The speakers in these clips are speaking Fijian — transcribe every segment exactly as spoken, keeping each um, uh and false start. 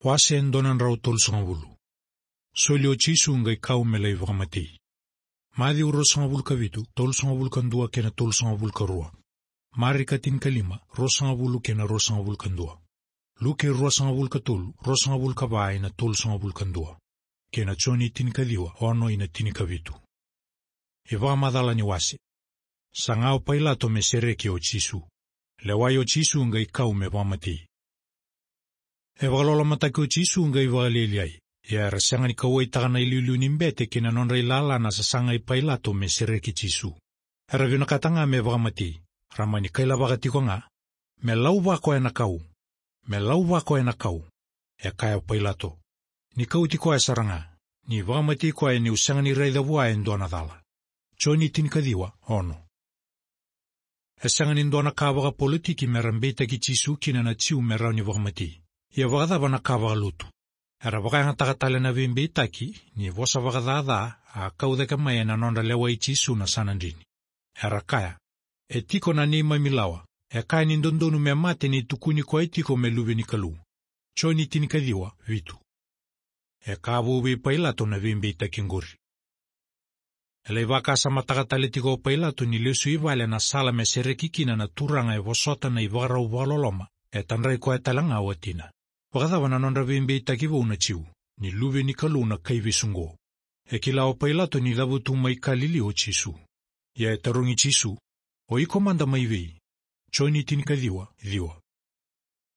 Wase e dua na drau tolusagavulu. Soli o Jisu qai kau me lai vakamatei. Maciu ruasagavulu ka vitu, tolusagavulu ka dua kei na tolusagavulu ka rua. Marika tinikalima, ruasagavulu kei na ruasagavulu ka dua. Luke ruasagavulu ka tolu, ruasagavulu ka va ina tolusagavulu ka dua. Kei na Joni tinikaciwa, ono ina tinikavitu. E vakamacala ni wase. Saga o Pailato me sereki o Jisu. Lewai o Jisu qai kau me vakamatei. E vakalolomataki o Jisu qai vakalialiai. Ia era sega ni kauwaitaka na iliuliu ni bete kei na nodra ilala na sasaga i Pailato me sereki Jisu. Era vinakata ga me vakamatei. Ra mani kailavaka tiko ga. Me lau vako ena kau. Me lau vako ena kau. E kaya o Pailato. Ni kauti koya sara ga. Ni vakamatei koya niu sega ni raica vua e dua na cala. Joni tinikaciwa, ono. E sega ni dua na ka vakapolitiki me ra beitaki Jisu kina na Jiu me rawa ni vakamatei. Ia vakacava na ka vakalotu? Era vakayagataka tale na veibeitaki, ni vosa vakacaca, a kau cake mai ena nodra lewai Jisu na Sanadrini. Era kaya. E tiko na neimami lawa, e kaya ni dodonu me mate ni tukuni koya tiko me luve ni Kalou. Joni tinikaciwa, vitu. E ka vou vei Pailato na veibeitaki qori. E lai vakasamataka tale tiko o Pailato ni lesu i vale na sala me sereki kina na turaga e vosota na ivakarau vakaloloma, e tadrai koya tale ga o watina. Vakacava na nodra veibeitaki vou na Jiu, ni luve ni Kalou na kaivesu qo. E kila o Pailato ni cavutu mai Kalili o Jisu. Ia e tarogi Jisu, o iko mada mai vei? Joni tinikaciwa, ciwa.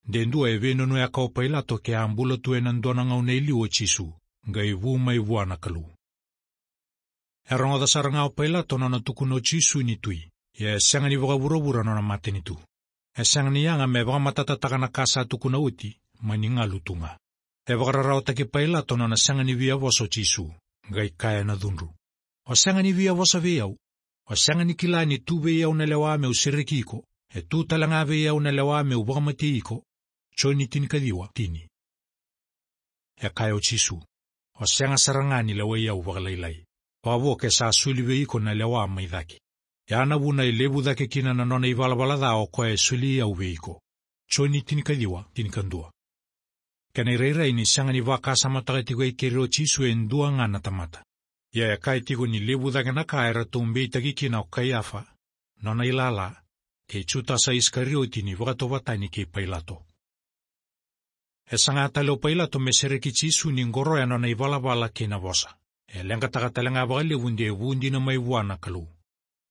De dua e veinanuyaka o Pailato ke a bula tu ena dua na gauna e liu o Jisu, qai vu mai vua na Kalou. E rogoca sara ga o Pailato nona tukuna o Jisu ni tui, ia e sega ni vakavuravura nona matanitu. E sega ni yaga me vakamatatataka na ka sa tukuna oti, mani galu tu ga. E vakararawataki Pailato nona sega ni via vosa o Jisu, qai kaya na cudru. O sega ni via vosa vei au. O sega ni kila ni tu vei au na lewa meu sereki iko, e tu tale ga vei au na lewa meu vakamatei iko. Joni tinikaciwa, tini. E kaya o Jisu. O sega sara ga ni lewai au vakalailai. Vavo ke sa soli vei iko na lewa mai cake. Ia na vuna e levu cake kina na nona ivalavala ca o koya e soli au vei iko. Joni tinikaciwa, tinikadua. Kena irairai ni sega ni vakasamataka tiko e keri o Jisu e dua ga na tamata. Ia e kaya tiko ni levu cake na ka eratou beitaki kina o Kaiafa, nona ilala, kei Jutasa Isikarioti ni vakatauvatani kei Pailato. E saga tale o Pailato me sereki Jisu ni qoroya nona ivalavala kei na vosa. E leqataka tale ga vakalevu de vu dina mai vua na Kalou.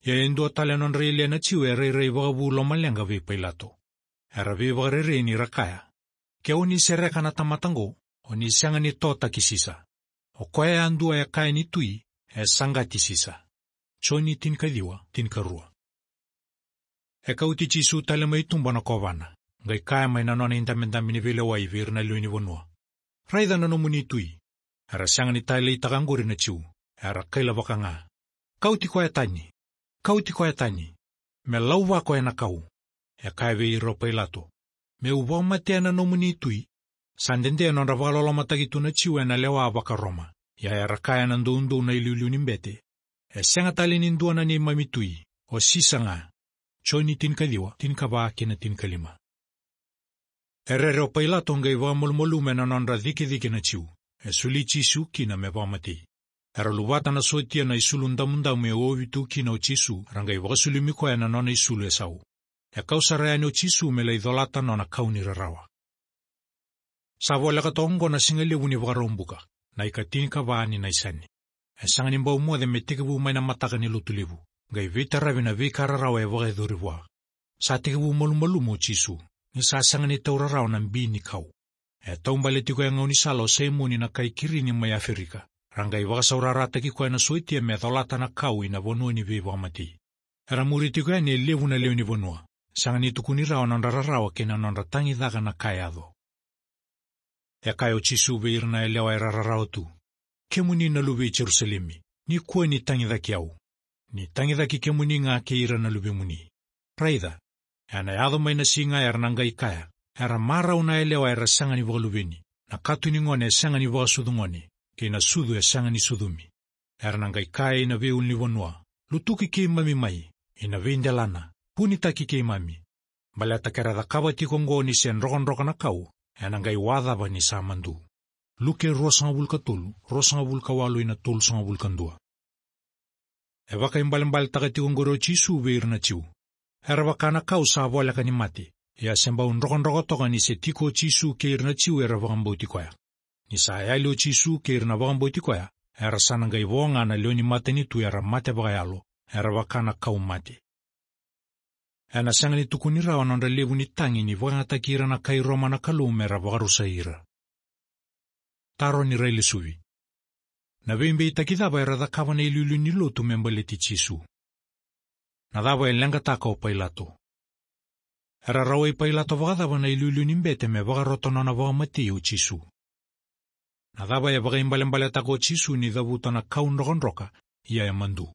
Ia e dua tale nodra ilia na Jiu e rairai vakavu lomaleqa vei Pailato. Era veivakarerei ni ra kaya. Ke o ni sereka na tamata qo, o ni sega ni totaki Sisa. O koya yadua e kaya ni tui, e saqati Sisa. Joni tinikaciwa, tinikarua. E kauti Jisu tale mai tuba na kovana, qai kaya mai na nona idabedabe ni veilewai vei ira na lewe ni vanua. Raica na nomuni tui. Era sega ni taleitaka qori na Jiu, era kailavaka ga. Kauti koya tani. Kauti koya tani. Me lau vako ena kau. E kaya vei ira o Pailato. Meu vakamatea na nomuni tui. Sa dede nodra vakalolomataki tu na Jiu ena lewa vaka-Roma. Ia era kaya na doudou na iliuliu ni bete. E sega tale ni dua na neimami tui. O Sisa ga. Joni tinikaciwa, tinikava kei na tinikalima. E rere o Pailato qai vakamalumalumu ena nodra cikecike na Jiu. E soli Jisu kina me vakamatei. Era luvata na sotia na isulu damudamu e ovi tu kina o Jisu, ra qai vakasulumi koya na nona isulu e sau. E kau sara yani o Jisu me lai colata nona kau ni rarawa. Sa voleka toka oqo na siga levu ni Vakaraubuka, na ikatinikava ni Naisani. E sega ni bau moce me tekivu mai na mataka ni Lotulevu, qai veitaravi na veika rarawa e vakayacori vua. Sa tekivu malumalumu o Jisu, ni sa sega ni taura rawa na bi ni kau. E taubale tiko e gaunisala o Saimoni na kai Kirini mai Aferika. Ra qai vakasaurarataki koya na sotia me colata na kau ina vanua ni veivakamatei. Era muri tiko yani e levu na lewe ni vanua. Sega ni tukuni rawa nodra rarawa kei na nodra tagicaka na ka e yaco. E kaya o Jisu vei ira na yalewa era rarawa tu. Kemuni na luve i Jerusalemi, ni kua ni tagicaki au. Ni tagicaki kemuni ga kei ira na luvemuni. Raica, ena yaco mai na siga era na qai kaya, era marau na yalewa era sega ni vakaluveni, na katunigone e sega ni vakasucu gone, kei na sucu e sega ni sucumi. Era na qai kaya ina veiulunivanua, lutuki keimami mai, ina veidelana, vunitaki keimami. Baleta ke ra cakava tiko oqo ni se drokadroka na kau, Ena qai wacava ni sa madu. Luke ruasagavulu ka tolu, ruasagavulu ka walu ina tolusagavulu ka dua. E vakaibalebaletaka tiko oqori o Jisu vei ira na Jiu. Era vaka na kau sa voleka ni mate, ia se bau drokadroka toka ni se tiko o Jisu kei ira na Jiu era vakabauti koya. Ni sa yali o Jisu kei ira na vakabauti koya, era sa na qai vo ga na lewe ni matanitu era mate vakayalo, era vaka na kau mate. Ena sega ni tukuni rawa na nodra levu ni tagi ni vakayagataki ira na kai Roma na Kalou mera vakarusai ira. Taro ni railesuvi. Na veibeitaki cava era cakava na iliuliu ni lotu me baleti Jisu? Na cava e leqataka o Pailato? Era rawai Pailato vakacava na iliuliu ni bete me vakarota nona vakamatei o Jisu? Na cava e vakaibalebaletaka o Jisu ni cavuta na kau drokadroka, ia e madu?